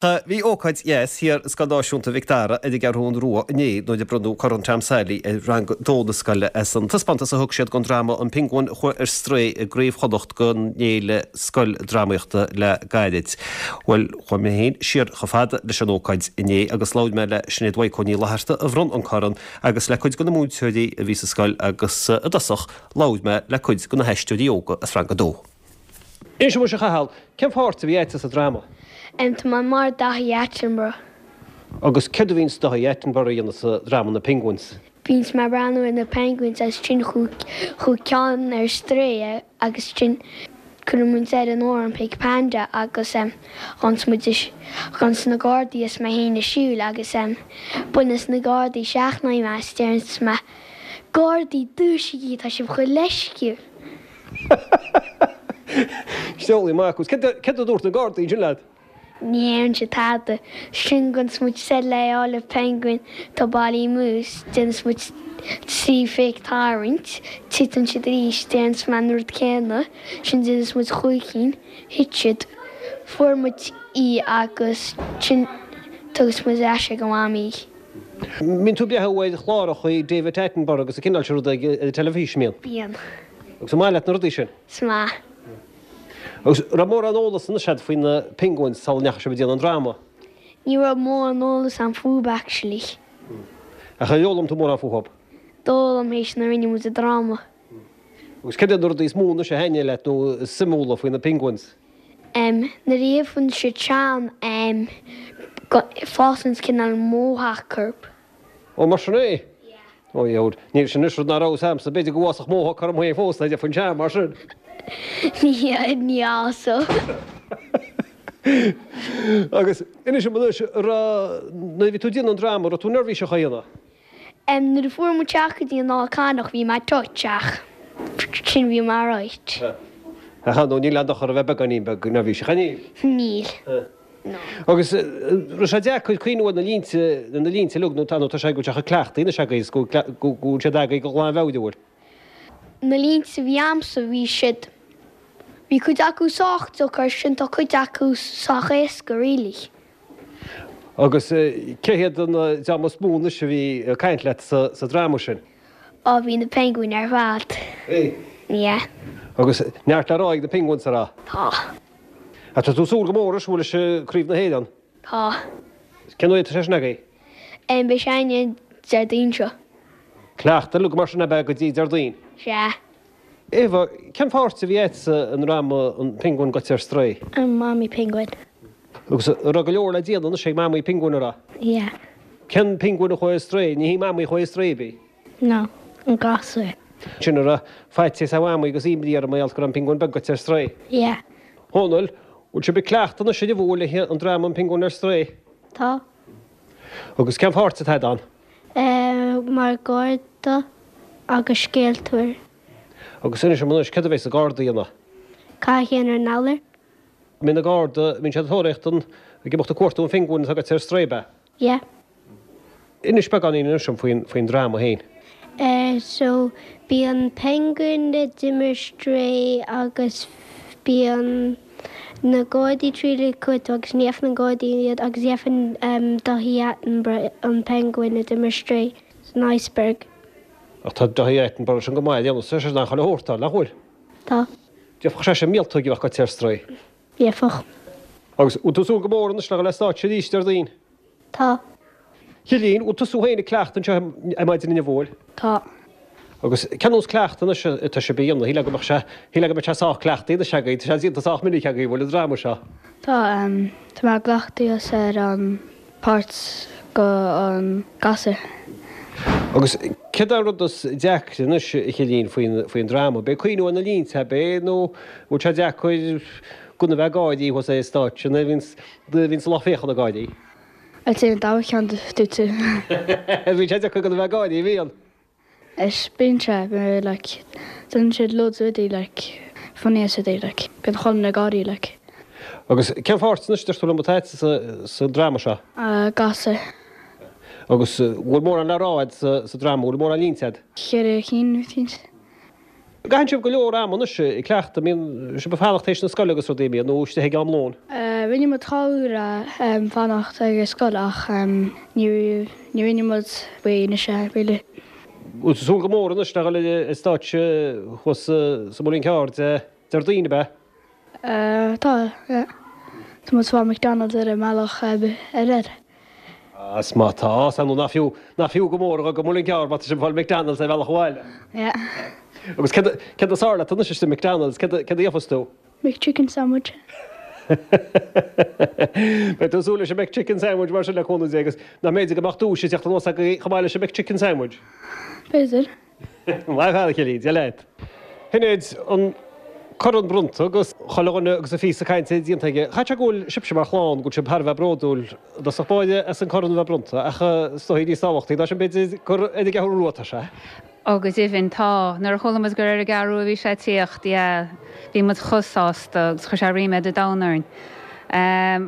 Bhí ócáid dheas thiar i Scoil Náisiúnta Mhic Dara ar an gCeathrún Rua inné nuair a bronnadh Corn Tom Sally ar Rang 2 na scoile as an taispeántas a thug siad den dráma An Pionguin a Chuaigh ar Strae i gCraobh Chonnacht den Fhéile Scoildrámaíochta le gairid. Bhuel, chuaigh mé féin siar chomh fada leis an ócáid inné agus labhair mé le Sinéad Mhaidhc Ní Fhlatharta a bhronn an corn agus le cuid de na múinteoirí a bhí sa scoil agus i dtosach labhair mé le cuid de na haisteoirí óga as Rang 2. Inis dom anois a Chathail, cén pháirt a bhí agat sa dráma? Em, tá mé mar Daithí Attenborough. Agus céard a bhíonns Daithí Attenborough a dhéanamh sa dráma Na Penguins? Bíonns mé ag breathnú ar na penguins agus ansin chuaigh ceann ar strae agus ansin cuireann muid air an amhrán Pink Panda agus em gabhanns muid gabhanns na gardaí is mé féin ag siúl agus em baineanns na gardaí seachnóidh mé is deireanns mé Gardaí, dúisigí, tá sibh chomh leisciúil! Seolaí maith acu. Céard a dúirt na Gardaí ansin leat? Ní deireann siad tada. Ansin gabhanns muid soir le fháil an penguin atá bailithe amú, déananns muid trí fake tarraingt, titeann siad arís, déananns mé an rud céanna, ansin déananns muid chúig cinn, thit siad, fuair muid í agus ansin tugas muid ar ais ag a mhamaí í. Mbíonn tú ag breathnú ar chláracha David Attenborough agus an cineál sin ruda ar an teilifís, an mbíonn? Bíonn. Agus an maith leat na rudaí sin? Is maith. Agus raibh mórán eolas anois agat faoi na penguins sula ndeachaigh sibh ag déanamh an dráma? Ní raibh mórán eolas a'm fúb actually. Ach ar fhoghlaim tú mórán fúthub? D'fhoghlaim théis nuair a rinne muid an dráma. Agus céard iad na rudaí is mó anois a thaitnigh leat nó is suimiúla faoi na penguins? Em, nuair a gheibheann siad sean, em, fásann cineál mohawk orthu. Ó, mar sin é? Yeah. Ó, dheabhail, níl sin anois rud nach raibh a fhios a'msa, b'fhéidir go bhfásfadh mohawk orm féin fós dá dteipfinn sean mar sin. Ní, ní fhásfadh. Agus inis dom anois, raibh, nuair a bhí tú ag déanamh an dráma, raibh tú neirbhíseach á dhéanamh? Em, nuair a fuair muid isteach go dtí an Fhál Carrach bhí mé touch ach ansin bhí mé alright. Ach ar ndóigh níl aon dochar a bheith beagáinín beag neirbhíseach, an níl? Níl. No. Agus raibh sé deacair cuimhniú ar na línte, na línte uilig nó tá nó tá sé go bhfuil sé chomh cleachtaithe anois agaibh is go go bhfuil siad agaibh go glanmheabhair, an bhfuil? Na línte a bhí a'msa bhí siad, bhí cuid acu sách deacair ansin tá cuid acu sách éasca really. Agus cé hiad an dream is mó anois a bhí ag caint leat sa dráma sin? Á bhí na penguin ar fad. Bhí? Yeah. Agus neart le rá ag na penguins an raibh? Tá. Ach tá tú ag súil go mór anois an bhfuil leis Craobh na hÉireann? Tá. Cén uair atá sé sin agaibh? Em beidh sé againn an Déardaoin seo. Cleachtadh uilig mar sin ab ea go dtí Déardaoin? Sea. Eva, cén pháirt a bhí agat sa ndráma An Pionguin Gaibhte ar Strae? An Mamaí Pionguin. Agus an raibh go leor le déanamh anois ag Mamaí Pionguin, an raibh? Yeah. Cén pionguin a chuaigh ar strae? Ní hí Mamaí a chuaigh ar strae, ab í? No, an gasúr. Sin an raibh faitíos ar Mhamaí agus imní uirthi mar gheall go raibh an pionguin beag gaibhte ar strae? Yeah. Dhónaill, bhfuil sibh ag cleachtadh anois ar an bhfuail le an dráma An Pionguin ar Strae? Tá. Agus cén pháirt atá agat ann? Eh, mar garda agus scéaltóir. Agus inis dom anois, céard a bheas an garda a dhéanamh? Cath a dhéanamh ar an iolar. Mbíonn na garda, mbíonn siad ag tóraíocht an, ag imeacht ag cuartú an phinguin atá gaibhte ar strae, ab ea? Yeah. Inis beagáinín anois dom faoin, faoin dráma féin. Eh, so, bíonn penguin a d'imigh ar strae agus bíonn na gardaí ag triail iad cuartú agus ní fhaigheann na gardaí iad agus gheibheann Daithí Attenborough an penguin a d'imigh ar strae san iceberg. Ach tá Daithí Attenborough sin go maith a dhéanamh, tá sé in ann chuile shórt a fháil, nach bhfuil? Tá. Gheobhadh seisean míoltóg a bheadh gaibhte ar strae. Gheobhadh. Agus bhfuil tú ag súil go mór anois le dhul ar stáitse arís Déardaoin? Tá. Cillian, bhfuil tusa féin ag cleachtadh anseo ar maidin inniu, bhfuil? Tá. Agus cén nós cleachtadh anois atá sibh a dhéanamh? Shílfeá go mbeadh sé, shílfeá go mbeadh sé sách cleachtaithe anois agaibh, tá sé déanta sách minic agaibh, bhfuil an dráma seo? Tá, tá mé ag cleachtadh ar an páirt go an gasúr. Agus céard é an rud is deacra anois, a Chillian, faoin, faoin dráma? B'é cuimhniú ar na línte, ab é, nó bhfuil sé deacair gan a bheith ag gáirí thuas ar an stáitse nuair a bhíonns, nuair a bhíonns an lucht féachana ag gáirí? I'd say an dara ceann dúirt tú. Bíonn sé deacair gan a bheith ag gáirí, bíonn? Is bíonn sé, bíonn like, déanann siad loads rudaí like, funny is rudaí like, bíonn chuile dhuine ag gáirí like. Agus cén pháirt anois deir tú liom atá agat sa, sa dráma seo? Gasúr. Agus bhfuil mórán le rá agat sa, sa dráma, bhfuil mórán línte agat? Cheithre cinn, I think. Caitheann sibh go leor ama anois ag cleachtadh, an mbíonn sibh ag fanacht théis na scoile agus rudaí, an mbíonn, nó istigh ag am lóin? Rinne muid uair fanacht ag an scoil ach ní rinne muid faoi anois é, really. Bhfuil tú ag súil go mór anois le dhul ar stáitse thuas sa Muileann Cearr Déardaoin, ab ea? Tá, yeah. Tá muid ag fáil McDonald's ar an mbealach ar air. Is má tá, is andú nach fiú, nach fiú go mór a dhul go Muileann gCearr má tá sibh ag fáil McDonald's ar bhealach abhaile. Yeah. Agus céard, céard is fearr leat anois istigh i McDonald's, céard, céard a gheofas tú? McChicken sandwich. Beidh tú ag súil leis an McChicken sandwich mar sin le cúnamh Dé agus nach mb'fhéidir go mbeadh duais ag teacht anuas agaibh chomh maith leis an McChicken sandwich? B'fhéidir. Maith thú a Chilín, Dia leat. Shinéad, an corn bronnta agus chuile dhuine agus a phíosa cainte déanta aige. Caithfidh sé go bhfuil sibhse mar chlann, go bhfuil sibh thar a bheith bródúil i dtosach báire as an corn a bheith bronnta ach is dóigh níos tábhachtaí ná sin b'fhéidir gur ar an gCeathrú Rua atá sé. Ó go deimhin, tá. Nuair a chuala muid gur ar an gCeathrú a bhí sé ag tíocht, yeah, bhí muid chomh sásta agus chuir sé ríméad an domhain orainn.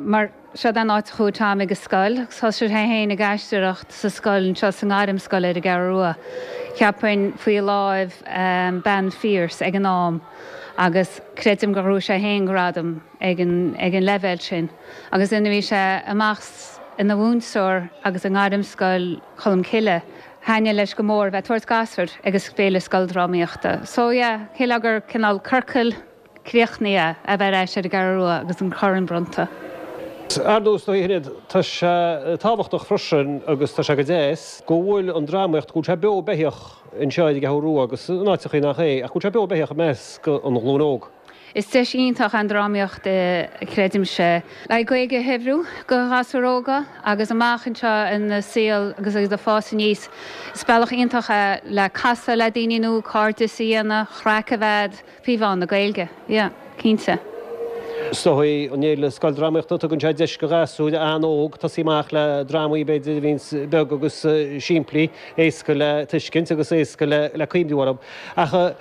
Mar. Seod é an áit a chuaigh Tom ag an scoil agus thosaigh sé féin ag aisteoireacht sa scoil anseo sa ngairmscoil ar an gCeathrú Rua. Cheapfainn faoi láimh Bean Pearse ag an am agus creidim gur ghnóthaigh sé féin gradam ag an ag an leibhéal sin. Agus nuair a bhí sé amach ina mhúinteoir agus i ngairmscoil Cholmcille, thaitnigh leis go mór a bheith ag tabhairt gasúir ag an Féile Scoildrámaíochta. So yeah, shílfeá gur cineál ciorcal. críochnaithe a bheith ar ais ar an gCeathrú Rua agus an corn bronnta. Ar ndóigh, is dóigh, a Shinéad, tá sé tábhachtach freisin agus tá sé go deas go bhfuil an drámaíocht, go bhfuil sé beo beithíoch anseo ar an gCeathrú Rua agus in áiteachaí nach é, ach go bhfuil sé beo beithíoch i measc an ghlúin óg. Is deis iontach an drámaíocht, creidimse, le Gaeilge a shaibhriú do ghasúir óga agus amach anseo ina saol agus iad ag fás aníos. Is bealach iontach é le casadh le daoine nua, cairdeas a dhéanamh, craic a bheith agat. Faoi mheán na Gaeilge, yeah, cinnte. Is dóigh, an Fhéile Scoildrámaíochta, tugann sé deis do ghasúir an-óg tosaí amach le drámaí, b'fhéidir, a bhíonns beag agus simplí, éasca le tuiscint agus éasca le cuimhniú orthu. Ach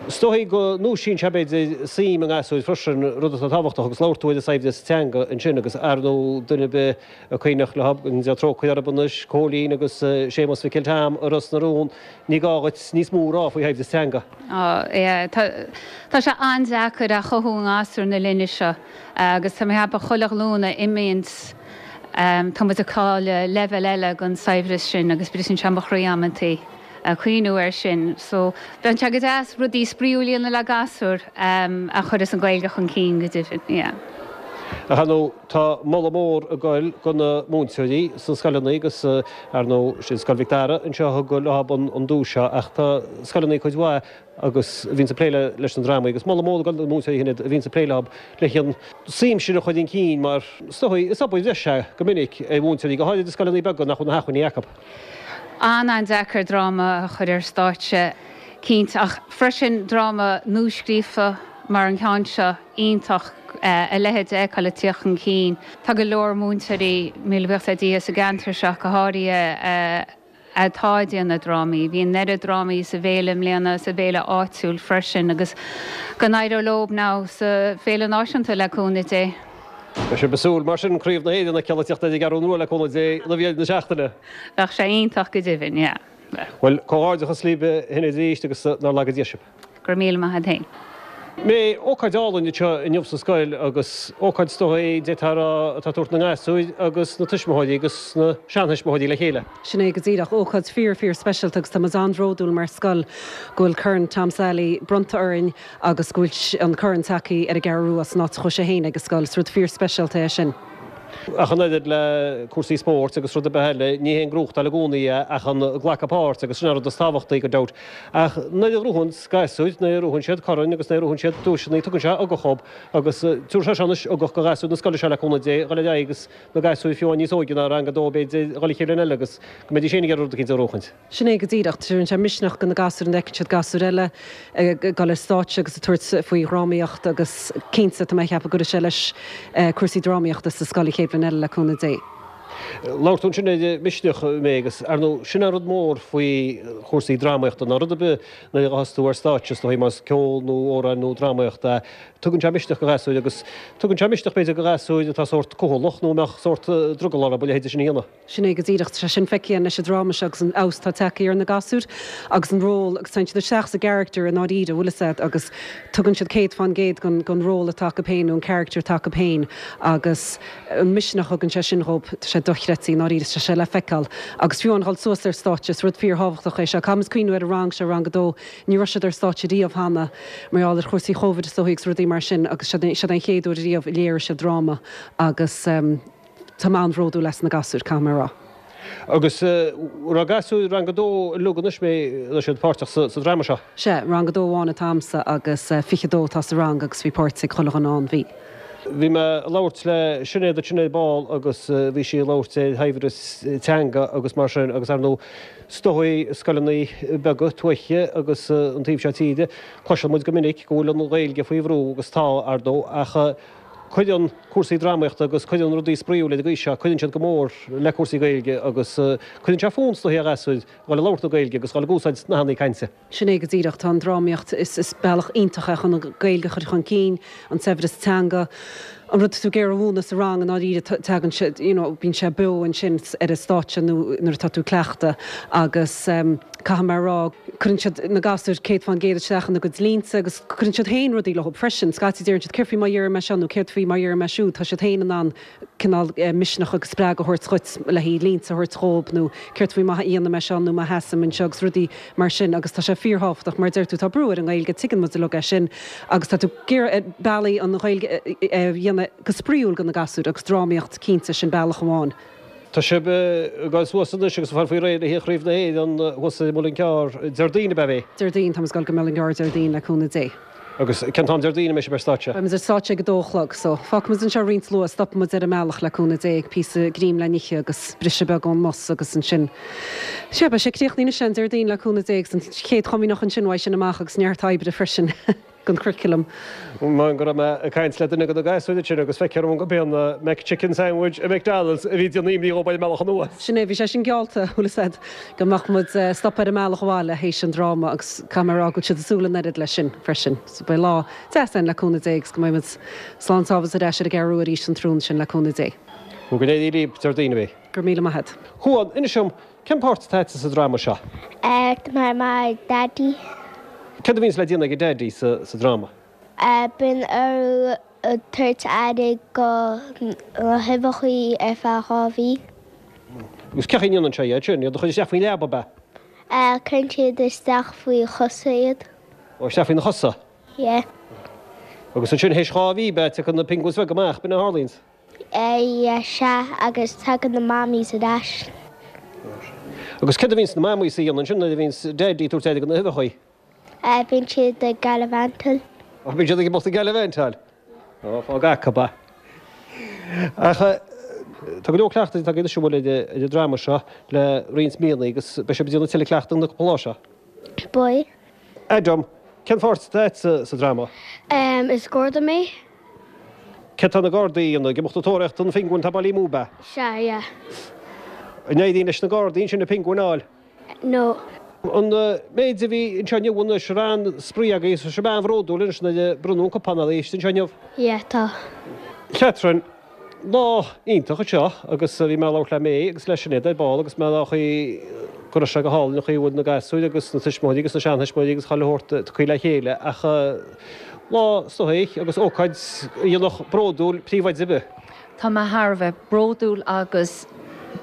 is dóigh go ndúisíonn sé, b'fhéidir, suim i ngasúir freisin, rud atá tábhachtach agus labhair tú ar an saibhreas teanga ansin agus ar ndóigh duine ar bith a cuimhneach leo, go ndéana trócaire orthu anois, Cóilín agus Séamus Mhicil Tom i Ros na Rún, ní gá dhuit níos mó a rá faoi shaibhreas teanga. Á, yeah, tá, tá sé an-deacair a chothú i ngasúir na linne seo agus tá mé ag ceapadh chuile ghlúin a imíonns, tá muid ag cailleadh leibhéal eile den saibhreas sin agus briseann sé mo chroí amantaí cuimhniú air sin. So, bheadh sé go deas rudaí spraíúil a dhéanamh le gasúir a chuireas an Ghaeilge chun cinn go deimhin, yeah. Ach ar ndóigh, tá moladh mór ag goil do na múinteoirí sna scoileanna agus, ar ndóigh, sin Scoil Mhic Dara anseo a thug leo an duais seo ach tá scoileanna cuid mhaith agus a bhíonns ag plé leis na drámaí agus moladh mór ag goil do na múinteoirí sin a bhíonns ag plé leo leis an suim sin a chur chun cinn mar is dóigh, is obair bhreise é go minic ar mhúinteoirí, go háirid i scoileanna beaga nach bhfuil na hacmhainní acu. An-an-deacair dráma a chur ar stáitse, cinnte, ach freisin dráma nuascríofa mar an ceann seo, iontach a leithéid a fheiceáil ag tíocht chun cinn. Tá go leor múinteoirí, míle buíochas le Dia, sa gceantar seo go háirithe atá ag déanamh drámaí. Bhí an oiread drámaí sa bhféile i mbliana, sa bhféile áitiúil freisin agus go n-éireoidh leo now sa bhféile náisiúnta le cúnamh Dé. Beidh sibh ag súil mar sin Craobh na hÉireann a fheiceáil ag tíocht ar an gCeathrú Rua le cúnamh Dé roimh dheireadh na seachtaine. Bheadh sé iontach go deimhin, yeah. Bhuel, comhghairdeachas libh a Shinéad arís agus nár laga Dia sibh. Go raibh míle maith agat féin. May, ócáid álainn anseo inniu sa scoil agus ócáid is dóigh d'fhéadfá a rá atá ag tabhairt na ngasúir agus na tuismitheoirí agus na seantuismitheoirí le chéile. Sin é go díreach. Ócáid fíor fíor speisialta agus tá muid an-bhródúil mar scoil go bhfuil Corn Tom Sally bronnta orainn agus go bhfuil an corn tagtha ar an gCeathrú Rua san áit a chuaigh sé féin ag an scoil. Is rud fíor speisialta é sin. Ach an oiread le cúrsaí spóirt agus rud ar bith eile, ní hé an gnóthachtáil i gcónaí é ach an glacadh páirt agus sin an rud is tábhachtaí gan dabht. Ach nuair a ghnóthaíonns gasúir, nuair a ghnóthaíonn siad coirn agus nuair a ghnóthaíonn siad duaiseanna, tugann sé ugach dhób agus tabharfaidh sé seo anois ugach do ghasúir na scoile seo le cúnamh Dé, dhul ar aghaidh agus na gasúir fiú amháin níos óige ná rang a dó b'fhéidir, dhul an chéad bhliain eile agus go mbeidís féin ag iarraidh rud eicínt a ghnóthachaint. Sin é go díreach. Tabharann sé misneach do na gasúir nuair a fheiceann siad gasúir eile ag dul ar stáitse agus ag tabhairt faoi dhrámaíocht agus cinnte tá mé ag ceapadh go gcuirfidh sé leis cúrsaí drámaíochta sa scoil an chéad bhliain eile le cúnamh Dé. Labhair tú ansin ar misneach, May, agus ar ndóigh sin an rud mór faoi chúrsaí drámaíochta ná rud ar bith nuair a ghabhfas tú ar stáitse, is dóigh, más ceol nó amhráin nó drámaíocht é, tugann sé misneach do ghasúir agus tugann sé misneach b'fhéidir do ghasúir atá sórt cúthalach nó a mbeadh sórt drogall orthu a leithéid sin a dhéanamh. Sin é go díreach. Tá sé sin feicthe againn leis an dráma seo agus an fheabhas atá tagtha ar na gasúir agus an ról agus téann siad isteach sa gcarachtar i ndáiríre, bhfuil fhios a'd, agus tugann siad 100% gon gon ról atá acu féin nó an character atá acu féin agus an misneach a thugann sé sin dhób, tá sé dochreidte i ndáiríre, tá sé le feiceáil. Agus fiú amháin dhul suas ar stáitse, is rud fíorthábhachtach é seo. Caithfidh muid cuimhniú ar an rang seo, rang a dó, ní raibh siad ar stáitse riamh cheana mar gheall ar chúrsaí Chóivid is dóigh agus rudaí mar sin agus seod é an chéad uair riamh a léirigh siad dráma agus. Tá mé an-bhródúil as na gasúir, caithfidh mé a rá. Agus raibh gasúir rang a dó uilig anois mé raibh siad páirteach sa dráma seo? Sea, rang a dó amháin atá a'msa agus 22 atá sa rang agus bhí páirt ag chuile dhuine ann, bhí. Bhí mé ag labhairt le Sinéad ansin ar ball agus bhí sí ag labhairt ar shaibhreas teanga agus mar sin agus ar ndóigh is dóigh i scoileanna beaga tuaithe agus an taobh seo tíre cloiseann muid go minic go bhfuil an Ghaeilge faoi bhrú agus tá, ar ndóigh, ach Cuireann cúrsaí drámaíochta agus cuireann rudaí spraíúla ar an gcaoi seo, cuireann siad go mór le cúrsaí Gaeilge agus cuireann sé fonn is dóigh ar ghasúir dhul ag labhairt na Gaeilge agus dhul ag úsáid nathanna cainte. Sin é go díreach. Tá an drámaíocht, is is bealach iontach é chun an Ghaeilge a chur chun cinn, an saibhreas teanga, an rud atá tú ag iarraidh a mhúineadh sa rang i ndáiríre, tagann sé, you know, bíonn sé beo ansin ar an stáitse nó nuair atá tú ag cleachtadh agus caithfidh mé a rá, cuireann siad, na gasúir, 100% isteach ina gcuid línte agus cuireann siad féin rudaí leo freisin. Scaití deireann siad, céard faoi má dheirim é seo nó céard faoi má dheirim é siúd. Tá siad féin in ann cineál misneach agus spreagadh a thabhairt dhuit le haghaidh línte a thabhairt dhóibh nó céard faoi má dhéanaim é seo nó má sheasaim anseo agus rudaí mar sin agus tá sé fíorthábhachtach. Mar a deir tú, tá brú ar an nGaeilge, tuigeann muid uilig é sin agus tá tú ag iarraidh bealaí an Ghaeilge a dhéanamh go spraíúil do na gasúir agus drámaíocht cinnte, sin bealach amháin. Tá sibh ag dul suas anois agus ag fáil faoi réir le haghaidh Chraobh na hÉireann thuas i Muileann gCearr Déardaoin ab ea? Déardaoin, táimid ag dul go Muileann gCearr Déardaoin le cúnamh Dé. Agus cén t-am Déardaoin a mbeidh sibh ar stáitse? Beidh muid ar stáitse ag a dó a chlog, so fágfaidh muid anseo roinnt luath, stopfaidh muid ar an mbealach le cúnamh Dé, píosa greim le n-ithe agus briseadh beag ón mbus agus ansin, sea, beidh sé críochnaithe anois an Déardaoin le cúnamh Dé agus an chéad chomaoineach ansin uaidh sin amach agus neart oibre freisin. den churriculum. Mar go raibh mé ag caint le duine de na gasúir ansin agus feictear dom gurb é an McChicken Sandwich i McDonald's a bhí ag déanamh imní dhóibh ar an mbealach anuas. Sin é, bhí sé sin geallta, bhfuil fhios a'd, go mbeadh muid ag stopadh ar an mbealach abhaile théis an dráma agus caithfidh mé a rá go bhfuil siad ag súil an oiread leis sin freisin. So beidh lá deas ann le cúnamh Dé agus go mbeidh muid slán sábháilte ar ais ar an gCeathrú Rua arís an tráthnóna sin le cúnamh Dé. Go n-éirí libh Déardaoin a bhí. Go raibh míle maith a'd. Juan, inis dom, Cén páirt atá a'dsa sa dráma seo? Tá mé mar Daidí. Céard a bhíonns le déanamh ag Daidí sa dráma? Bíonn orthu tabhairt aire go na huibheachaí ar feadh 2 mhí. Agus cén chaoi a ndéanann sé iad sin? Iad a chur isteach faoin leaba, ab ea? Cuireann siad isteach faoi chosa iad. Ó, isteach faoina chosa? Yeah. Agus ansin théis 2 mhí, ab ea, tiocfaidh na penguins bheaga amach, b'in a tharlaíonns? Yeah, sea, agus tagann na mammies ar ais. Agus céard a bhíonns na mammies a dhéanamh ansin nuair a bhíonns Daidí ag tabhairt aire do na huibheachaí? Bíonn siad ag gallivantáil. Ó, bíonn siad ag imeacht ag gallivantáil. Ó, fág acu é. Ach tá go leor cleachtaidh tagtha anois an bhfuil ar an dráma seo le roinnt míonna agus beidh sibh ag déanamh tuilleadh cleachtaidh na cúpla lá seo. Beidh. Adam, cén pháirt atá a'dsa sa dráma? Is garda mé. Céard tá na gardaí a dhéanamh? Ag imeacht ag tóraíocht an phingin atá bailithe amú, ab ea? Sea, yeah. An éiríonn leis na gardaí ansin an pingin a fháil? No. An méid a bhí anseo inniu anois, raibh an-spraoi agaibh, tá sibh an-bhródúil anois nuair a bronnadh an cupán oraibh anseo inniu. Yeah, tá. Catherine, Lá iontach anseo agus bhí mé ag labhairt le May agus le Sinéad ar ball agus mé ag rá an chaoi go raibh sé go hálainn an chaoi a bhfuil na gasúir agus na tuismitheoirí agus na seantuismitheoirí agus chuile shórt tagtha le chéile ach lá is dóigh agus ócáid a dhéanfadh bródúil príomhoide ar bith. Tá mé thar a bheith bródúil agus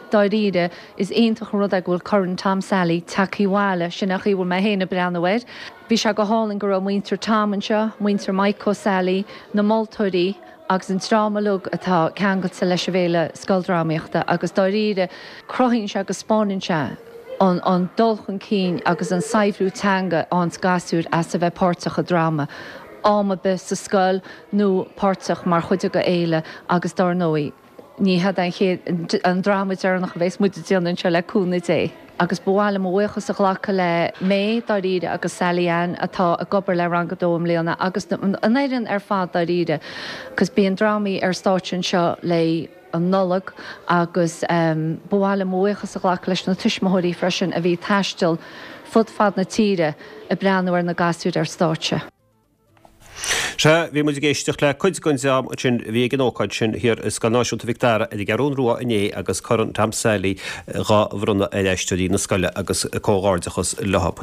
dáiríre is iontach an rud é go bhfuil Corn Tom Sally tagtha abhaile, sin an chaoi a bhfuil mé féin ag breathnú air. Bhí sé go hálainn go raibh muintir Tom anseo, muintir Mike O'Sally, na moltóirí agus an dream uilig atá ceangailte leis an bhFéile Scoildrámaíochta agus dáiríre cruthaíonn sé agus 'spáineann sé an dul chun cinn agus an saibhriú teanga a fhaigheanns gasúir as a bheith páirteach i dráma, am ar bith sa scoil nó páirteach mar chuid de fhéile agus dár ndóigh ní head an chéad, an dráma deireanach a bheas muid ag déanamh anseo le cúnamh Dé. Agus ba mhaith liom mo bhuíochas a ghlacadh le May dáiríre agus Sally Ann atá ag obair le Rang 2 i mbliana agus an fhoireann ar fad dáiríre 'cause bíonn drámaí ar stáitse anseo le. an Nollag agus ba mhaith liom mo bhuíochas a ghlacadh leis na tuismitheoirí freisin a bhí ag taisteal fud fad na tíre ag breathnú ar na gasúir ar stáitse. Sea, bhí muid ag éisteacht le cuid den dream ansin a bhí ag an ócáid sin thiar i Scoil Náisiúnta Mhic Dara ar an gCeathrún Rua inné agus Corn Tom Sally dhá bhronnadh ar aisteoirí na scoile agus comhghairdeachas leo.